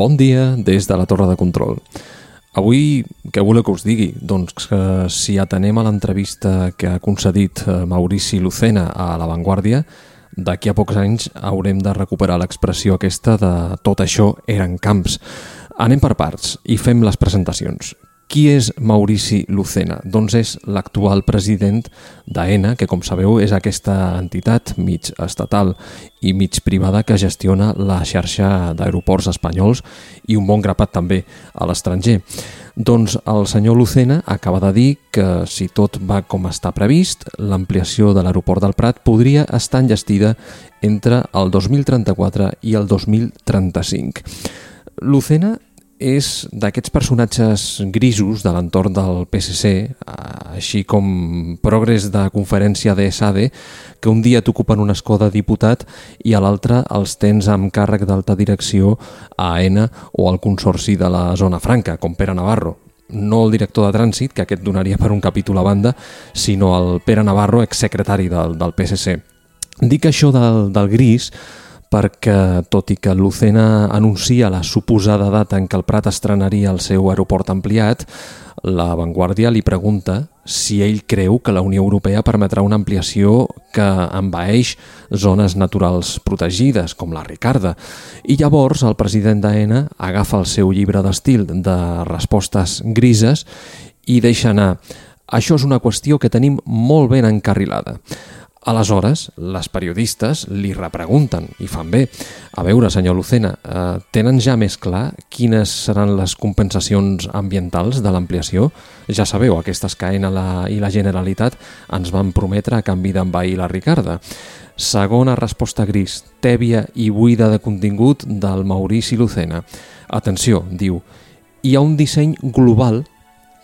Bon dia des de la Torre de Control. Avui, què voleu que us digui? Doncs que si atenem a l'entrevista que ha concedit Maurici Lucena a La Vanguardia, d'aquí a pocs anys haurem de recuperar l'expressió aquesta de tot això eren camps. Anem per parts i fem les presentacions. Qui és Maurici Lucena? Doncs és l'actual president d'AENA, que com sabeu és aquesta entitat mig estatal i mig privada que gestiona la xarxa d'aeroports espanyols i un bon grapat també a l'estranger. Doncs el senyor Lucena acaba de dir que si tot va com està previst, l'ampliació de l'aeroport del Prat podria estar enllestida entre el 2034 i el 2035. Lucena és d'aquests personatges grisos de l'entorn del PSC, així com progres de conferència de SADE, que un dia t'ocupen un escó de diputat i a l'altre els tens amb càrrec d'alta direcció a AENA o al Consorci de la Zona Franca, com Pere Navarro. No el director de trànsit, que aquest donaria per un capítol a banda, sinó el Pere Navarro, exsecretari del PSC. Dic això del gris perquè, tot i que Lucena anuncia la suposada data en què el Prat estrenaria el seu aeroport ampliat, La Vanguardia li pregunta si ell creu que la Unió Europea permetrà una ampliació que envaeix zones naturals protegides, com la Ricarda. I llavors el president d'AENA agafa el seu llibre d'estil de respostes grises i deixa anar. Això és una qüestió que tenim molt ben encarrilada. Aleshores, les periodistes li repregunten i fan bé. A veure, senyor Lucena, tenen ja més clar quines seran les compensacions ambientals de l'ampliació? Ja sabeu, aquestes que AENA i la Generalitat ens van prometre a canvi d'envair la Ricarda. Segona resposta gris, tèbia i buida de contingut del Maurici Lucena. Atenció, diu, hi ha un disseny global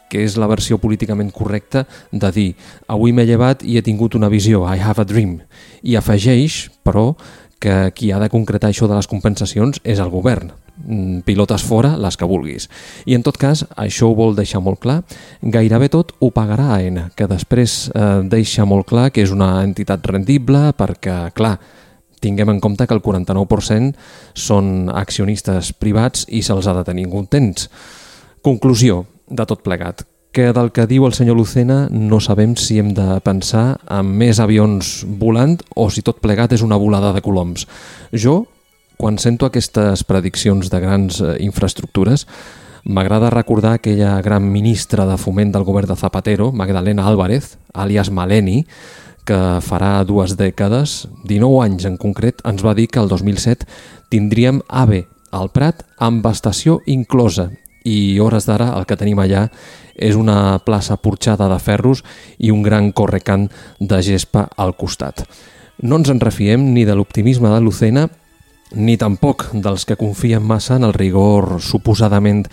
que és la versió políticament correcta de dir avui m'he llevat i he tingut una visió, I have a dream. I afegeix, però, que qui ha de concretar això de les compensacions és el govern. Pilotes fora, les que vulguis. I en tot cas, això ho vol deixar molt clar. Gairebé tot ho pagarà AENA, que després deixa molt clar que és una entitat rendible perquè, clar, tinguem en compte que el 49% són accionistes privats i se'ls ha de tenir contents. Conclusió de tot plegat, que del que diu el senyor Lucena no sabem si hem de pensar en més avions volant o si tot plegat és una volada de coloms. Jo, quan sento aquestes prediccions de grans infraestructures, m'agrada recordar aquella gran ministra de foment del govern de Zapatero, Magdalena Álvarez, àlies Maleni, que farà 2 dècades, 19 anys en concret, ens va dir que el 2007 tindríem AVE al Prat amb estació inclosa. I hores d'ara el que tenim allà és una plaça porxada de ferros i un gran correcant de gespa al costat. No ens en refiem ni de l'optimisme de Lucena ni tampoc dels que confien massa en el rigor suposadament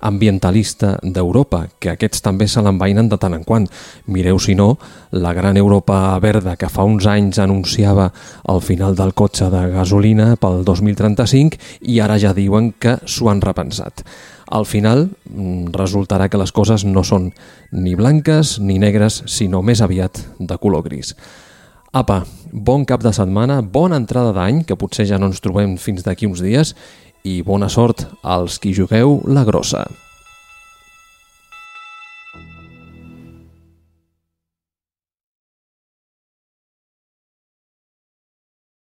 ambientalista d'Europa, que aquests també se l'envainen de tant en quant. Mireu, si no, la gran Europa verda que fa uns anys anunciava el final del cotxe de gasolina pel 2035 i ara ja diuen que s'ho han repensat. Al final resultarà que les coses no són ni blanques ni negres, sinó més aviat de color gris. Apa, bon cap de setmana, bona entrada d'any, que potser ja no ens trobem fins d'aquí uns dies, i bona sort als qui jugueu la grossa.